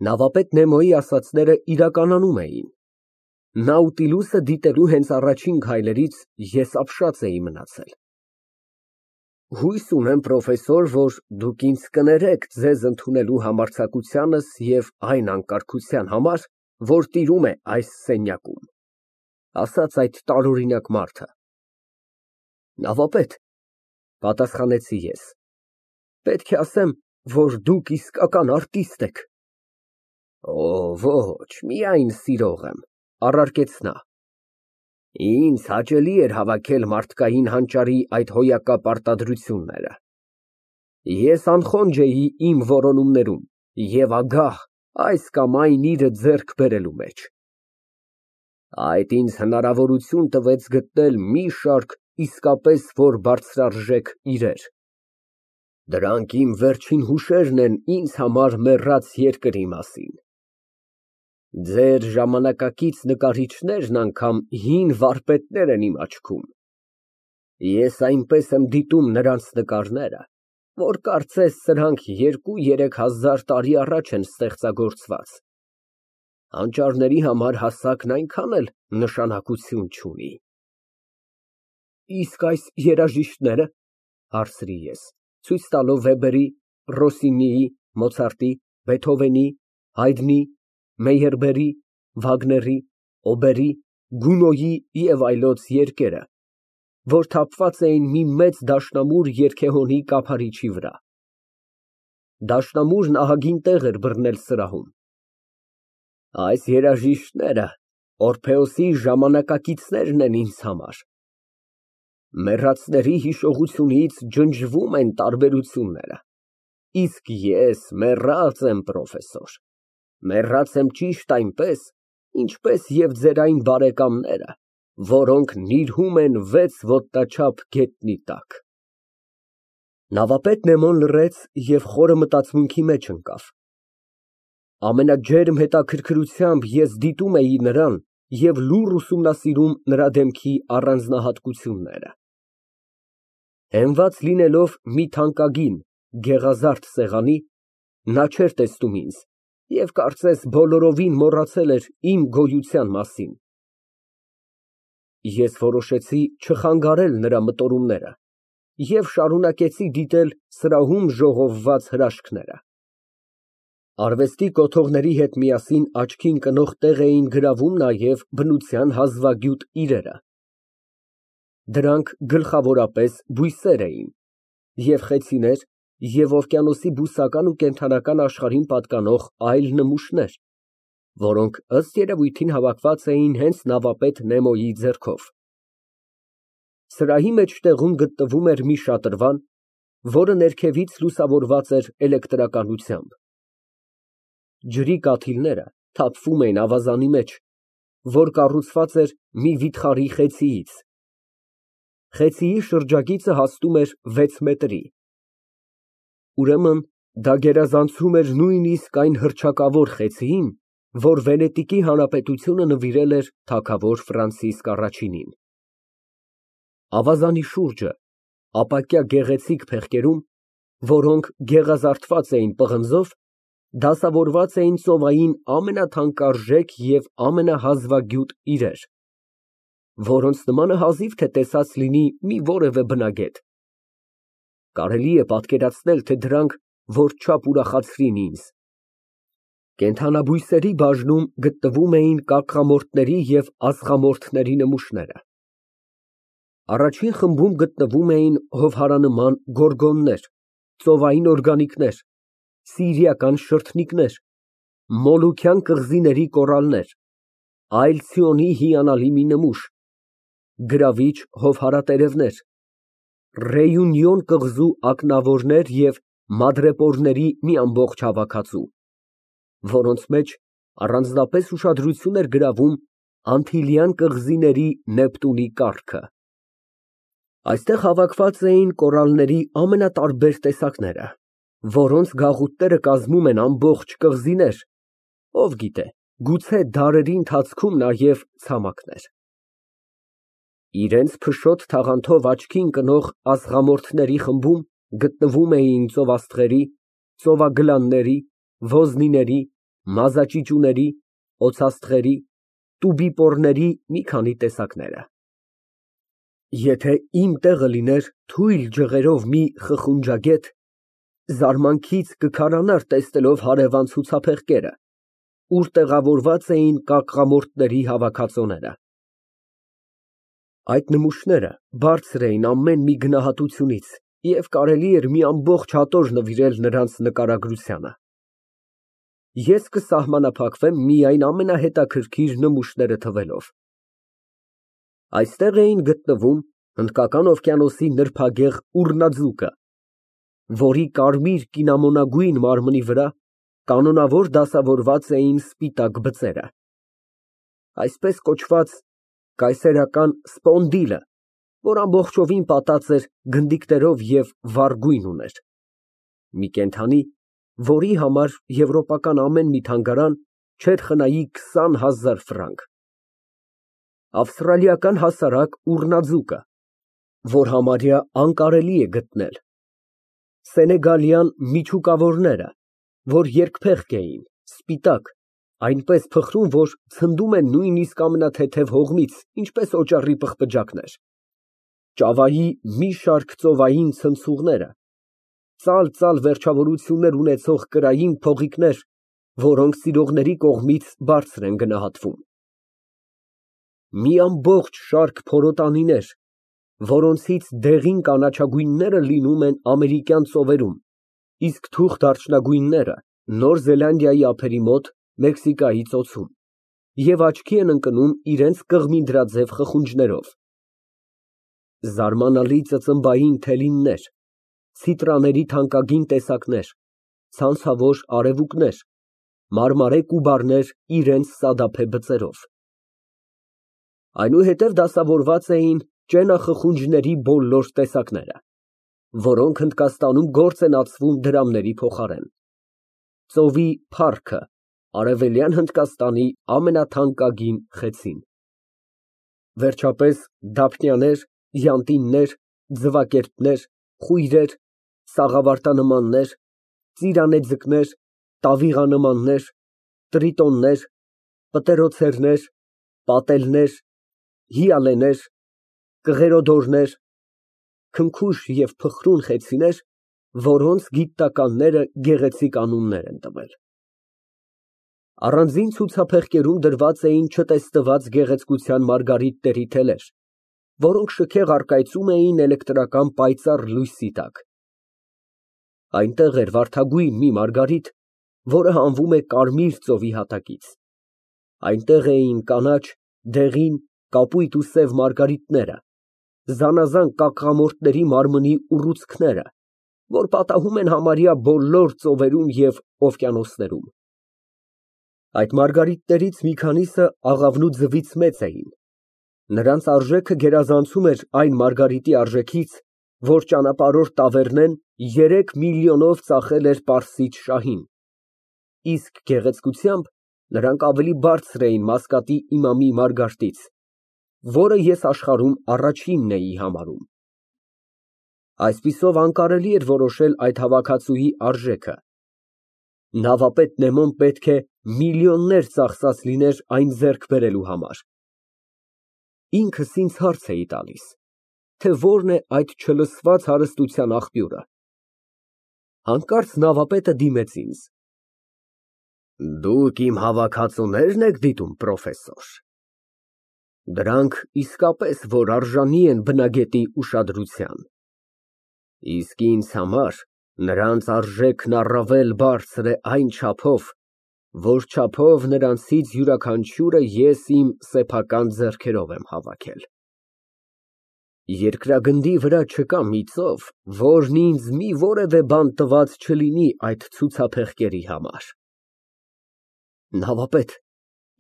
Նավապետ Նեմոյի ասածները իրականանում էին։ Նաուտիլուսը դիտելու հենց առաջին քայլերից ես ապշած էի մնացել։ Հույս ունեմ, պրոֆեսոր, որ դուք ինձ կներեք ձեզ ընդունելու համարձակությանս և այն անկարգության համար, որ տիրում է այս սենյակում, ասաց այդ տարօրինակ մարդը։ Նավապետ, պատասխանեցի ես, պետք է ասեմ, որ դուք իսկական արտիստ եք։ Ոչ, միայն սիրող եմ, առարկեց նա։ Ինձ հաճելի էր հավաքել մարդկային հանճարի այդ հոյակապ արտադրությունները։ Ես անխոնջ էի իմ որոնումներում և ագահ այս կամ այն իրը ձեռք բերելու մեջ։ Այդ ինձ հնարավորություն տվեց գտնել մի շարք իսկապես որ բարձրարժեք իրեր։ Դրանք իմ վերջին հուշերն են ինձ համար մեռած երկրի մասին։ Ձեր ժամանակակից նկարիչներն անգամ հին վարպետներ են իմ աչքում։ Ես այնպես եմ դիտում նրանց նկարները, որ կարծես սրանք 2-3 հազար տարի առաջ են ստեղծագործված։ Հանճարների համար հասակն այնքան էլ նշանակություն չունի։ Իսկ այս երաժիշտները, հարցրի ես, ցույց տալով Վեբերի, Ռոսինիի, Մոցարտի, Բեթհովենի, Հայդնի, Մեյերբերի, Վագների, Օբերի, Գունոյի և այլոց երկերը, որ թափված էին մի մեծ դաշնամուր երգեհոնի կափարիչի վրա։ Դաշնամուրն ահագին տեղ էր բռնել սրահում։ Այս երաժիշտները Օրֆեոսի ժամանակակիցներն են ինձ համար։ Մեռածների հիշողությունից ջնջվում են տարբերությունները, իսկ ես մեռած եմ, պրոֆեսոր, մեռած եմ ճիշտ այնպես, ինչպես և ձեր այն բարեկամները, որոնք նիրհում են 6 ոտնաչափ գետնի տակ։ Նավապետ Նեմոն լռեց և խորը մտածմունքի մեջ ընկավ։ Ամենաջերմ հետաքրքրությամբ ես դիտում էի նրան և լուռ ուսումնասիրում նրա դեմքի առանձնահատկությունները։ Հենված լինելով մի թանկագին, գեղազարդ սեղանի, նա չէր տեսնում ինձ և կարծես բոլորովին մոռացել էր իմ գոյության մասին։ Ես որոշեցի չխանգարել նրա մտորումները և շարունակեցի դիտել սրահում ժողովված հրաշքները։ Արվեստի կոթողների հետ միասին աչքի ընկնող տեղ էին գրավում նաև բնության հազվագյուտ իրերը։ Դրանք գլխավորապես բույսեր էին, և խեցիներ, և օվկիանոսի բուսական ու կենդանական աշխարհին պատկանող այլ նմուշներ, որոնք ըստ երևույթին հավաքված էին հենց նավապետ Նեմոյի ձեռքով։ Սրահի մեջտեղում գտնվում էր մի շատրվան, որը ներքևից լուսավորված էր էլեկտրականությամբ։ Ջրի կաթիլները թափվում էին ավազանի մեջ, որ կառուցված էր մի վիթխարի խեցիից։ Խեցիի շրջագիծը հասնում էր 6 մետրի։ Ուրեմն դա գերազանցում էր նույնիսկ այն հռչակավոր խեցիին, որ Վենետիկի Հանրապետությունը նվիրել էր թագավոր Ֆրանցիսկ առաջինին։ Ավազանի շուրջը, ապակյա գեղեցիկ փեղկերում, որոնք գեղազարդված էին պղնձով, դասավորված էին ծովային ամենաթանկարժեք և ամենահազվագյուտ իրեր, որոնց նմանը հազիվ թե տեսած լինի մի որևէ բնագետ։ Կարելի է պատկերացնել, թե դրանք որչափ ուրախացրին ինձ։ Կենդանաբույսերի բաժնում գտնվում էին կակղամորթների և ածխամորթների նմուշները։ Առաջին խմբում գտնվում էին հովհարանման գորգոններ, ծովային օրգանիկներ, սիրիական շրթնիկներ, մոլուքյան կղզիների կորալներ, այլցյոնի հիանալի մի նմուշ, գրավիչ հովհարատերևներ, Ռեյունյոն կղզու ակնավորներ և մադրեպորների մի ամբողջ հավաքածու, որոնց մեջ առանձնապես ուշադրություն էր գրավում Անտիլյան կղզիների Նեպտունի կառքը։ Այստեղ հավաքված էին կորալների ամենատարբեր տեսակները, որոնց գաղութները կազմում են ամբողջ կղզիներ, ով գիտե, գուցե դարերի ընթացքում նաև ցամաքներ։ Իրենց փշոտ թաղանթով աչքի ընկնող ածխամորթների խմբում գտնվում էին ծովաստղերի, ծովագլանների, ոզնիների, մազաճիճուների, օձաստղերի, տուբիպոռների մի քանի տեսակները։ Եթե իմ տեղը լիներ թույլ ջղերով մի խխունջագետ, զարմանքից կքարանար տեսնելով հարևան ցուցափեղկերը, ուր տեղավորված էին կակղամորթների հավաքածուները։ Այդ նմուշները բարձր էին ամեն մի գնահատությունից և կարելի էր մի ամբողջ հատոր նվիրել նրանց նկարագրությանը։ Ես կսահմանափակվեմ միայն ամենահետաքրքիր նմուշները թվելով։ Այստեղ էին գտնվում Հնդկական օվկիանոսի նրբագեղ ուռնաձուկը, որի կարմիր կինամոնագույն մարմնի վրա կանոնավոր դասավորված էին սպիտակ բծերը, այսպես կոչված կայսերական սպոնդիլը, որ ամբողջովին պատած էր գնդիկներով և վառ գույն ուներ, մի կենդանի, որի համար եվրոպական ամեն մի թանգարան չէր խնայի 20,000 ֆրանկ, ավստրալիական հասարակ ուռնաձուկը, որ համարյա անկարելի է գտնել, սենեգալյան միջուկավորները, որ երկփեղկ էին, սպիտակ, այնպես փխրուն, որ ցնդում են նույնիսկ ամենաթեթև հողմից, ինչպես օճառի պղպջակներ, Ճավայի մի շարք ծովային ցնցուղները, ծալ վերջավորություններ ունեցող կրային փողիկներ, որոնք սիրողների կողմից բարձր են գնահատվում, մի ամբողջ շարք փորոտանիներ, որոնցից դեղին կանաչագույնները լինում են ամերիկյան ծովերում, իսկ թուխ դարչնագույնները Նոր Զելանդիայի ափերի մոտ, Մեքսիկայի ծոցում, և աչքի են ընկնում իրենց կղմինդրաձև խխունջներով, զարմանալի ծծմբային թելիններ, ցիտրաների թանկագին տեսակներ, ցանցավոր արևուկներ, մարմարե կուբարներ իրենց սադափե բծերով, այնուհետև դասավորված էին ճենախխունջների բոլոր տեսակները, որոնք Հնդկաստանում գործ են ածվում դրամների փոխարեն, ծովի փառքը Արևելյան Հնդկաստանի ամենաթանկագին խեցին, վերջապես դափնիաներ, յանտիններ, ձվակերպներ, խույրեր, սաղավարտանմաններ, ծիրանեձկներ, տավիղանմաններ, տրիտոններ, պտերոցերներ, պատելներ, հիալեներ, կղերոդորներ, քնքուշ և փխրուն խեցիներ, որոնց գիտնականները գեղեցիկ անուններ են տվել։ Առանձին ցուցափեղկերում դրված էին չտեսնված գեղեցկության մարգարիտների թելեր, որոնք շքեղ առկայծում էին էլեկտրական պայծառ լույսի տակ։ Այնտեղ էր վարդագույն մի մարգարիտ, որը հանվում է Կարմիր ծովի հատակից, այնտեղ էին կանաչ, դեղին, կապույտ ու սև մարգարիտները, զանազան կակղամորթների մարմնի ուռուցքները, որ պատահում են համարյա բոլոր ծովերում և օվկիանոսներում։ Այդ մարգարիտներից մի քանիսը աղավնու ձվից մեծ էին, նրանց արժեքը գերազանցում էր այն մարգարիտի արժեքից, որ ճանապարհորդ Տավեռնեն 3 միլիոնով ծախել էր պարսից շահին, իսկ գեղեցկությամբ նրանք ավելի բարձր էին Մասկատի իմամի Մարգարտից, որը ես աշխարհում առաջինն էի համարում։ Այսպիսով անկարելի էր որոշել այդ հավաքածուի արժեքը։ Նավապետ Նեմոն պետք է միլիոններ ծախսած լիներ այն ձեռք բերելու համար։ Ինքս ինձ հարց էի տալիս, թե որն է այդ չլսված հարստության աղբյուրը։ Հանկարծ նավապետը դիմեց ինձ. Դուք իմ հավաքածուներն եք դիտում, պրոֆեսոր։ Դրանք իսկապես որ արժանի են բնագետի ուշադրության, իսկ ինձ համար նրանց արժեքն առավել բարձր է այն չափով, որ չափով նրանցից յուրաքանչյուրը ես իմ սեփական ձեռքերով եմ հավաքել։ Երկրագնդի վրա չկա մի ծով, որն ինձ մի որևէ բան տված չլինի այդ ցուցափեղկերի համար։ Նավապետ,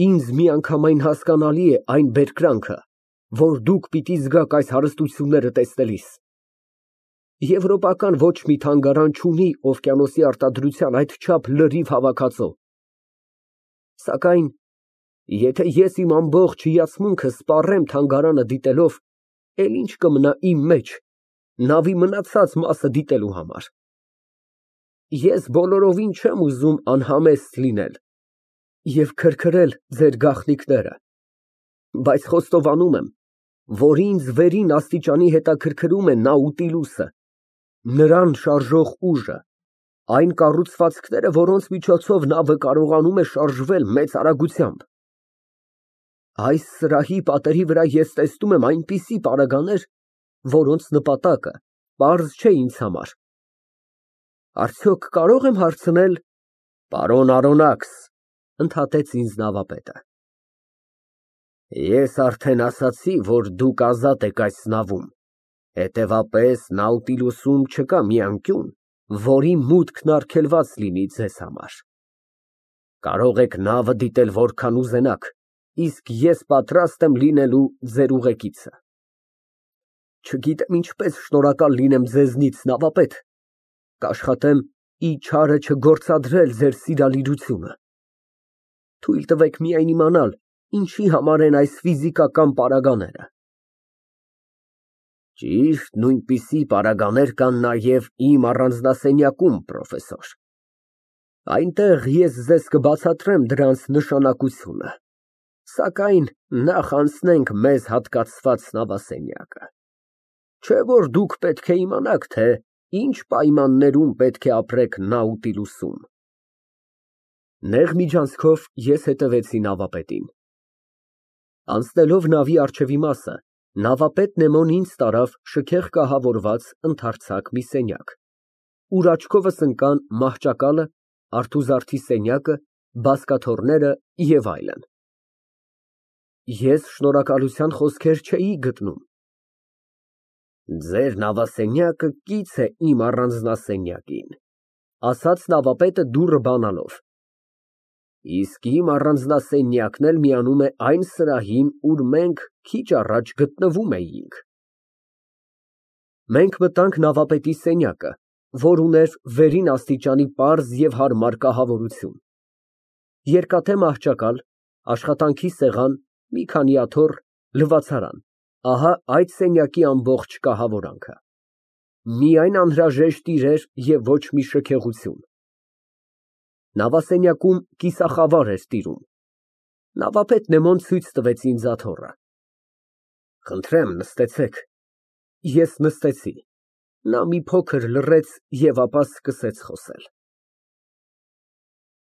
ինձ միանգամայն հասկանալի է այն բերկրանքը, որ դուք պիտի զգաք այս հարստությունները տեսնելիս։ Եվրոպական ոչ մի թանգարան չունի օվկիանոսի արտադրության այդչափ լրիվ հավաքածու։ Սակայն եթե ես իմ ամբողջ հիացմունքը սպառեմ թանգարանը դիտելով, էլ ինչ կմնա իմ մեջ նավի մնացած մասը դիտելու համար։ Ես բոլորովին չեմ ուզում անհամեստ լինել և քրքրել ձեր գաղտնիքները, բայց խոստովանում եմ, որ ինձ վերին աստիճանի հետաքրքրում է Նաուտիլուսը, նրան շարժող ուժը, այն կառուցվածքները, որոնց միջոցով նավը կարողանում է շարժվել մեծ արագությամբ։ Այս սրահի պատերի վրա ես տեսնում եմ այնպիսի պարագաներ, որոնց նպատակը պարզ չէ ինձ համար։ Արդյոք կարող եմ հարցնել… Պարոն Արոնաքս, ընդհատեց ինձ նավապետը, ես արդեն ասացի, որ դուք ազատ եք այս նավում, հետևաբար Նաուտիլուսում չկա մի անկյուն, որի մուտքն արգելված լինի ձեզ համար։ Կարող եք նավը դիտել որքան ուզենաք, իսկ ես պատրաստ եմ լինելու ձեր ուղեկիցը։ Չգիտեմ ինչպես շնորհակալ լինեմ ձեզնից, նավապետ, կաշխատեմ ի չարը չգործադրել ձեր սիրալիրությունը։ Թույլ տվեք միայն իմանալ, ինչի համար են այս ֆիզիկական պարագաները։ Ճիշտ նույնպիսի պարագաներ կան նաև իմ առանձնասենյակում, պրոֆեսոր։ Այնտեղ ես ձեզ կբացատրեմ դրանց նշանակությունը, սակայն նախ անցնենք մեզ հատկացված նավասենյակը։ Չէ՞ որ դուք պետք է իմանաք, թե ինչ պայմաններում պետք է ապրեք Նաուտիլուսում։ Նեղ միջանցքով ես հետևեցի նավապետին։ Անցնելով նավի առջևի մասը, նավապետ Նեմոն ինձ տարավ շքեղ կահավորված ընդարձակ մի սենյակ, ուր աչքովս ընկան մահճակալը, արթուզարդի սենյակը, բազկաթոռները և այլն։ Ես շնորհակալության խոսքեր չէի գտնում։ Ձեր նավասենյակը կից է իմ առանձնասենյակին, ասաց նավապետը դուռը բանալով, իսկ իմ առանձնասենյակն էլ միանում է այն սրահին, ուր մենք քիչ առաջ գտնվում էինք։ Մենք մտանք նավապետի սենյակը, որ ուներ վերին աստիճանի պարզ և հարմար կահավորություն, երկաթե մահճակալ, աշխատանքի սեղան, մի քանի աթոռ, լվացարան, ահա այդ սենյակի ամբողջ կահավորանքը։ Միայն անհրաժեշտ իրեր և ոչ մի շքեղություն։ Նավասենյակում կիսախավար էր տիրում։ Նավապետ Նեմոն ցույց տվեց ինձ աթոռը։ Խնդրեմ, նստեցեք։ Ես նստեցի։ Նա մի փոքր լռեց և ապա սկսեց խոսել։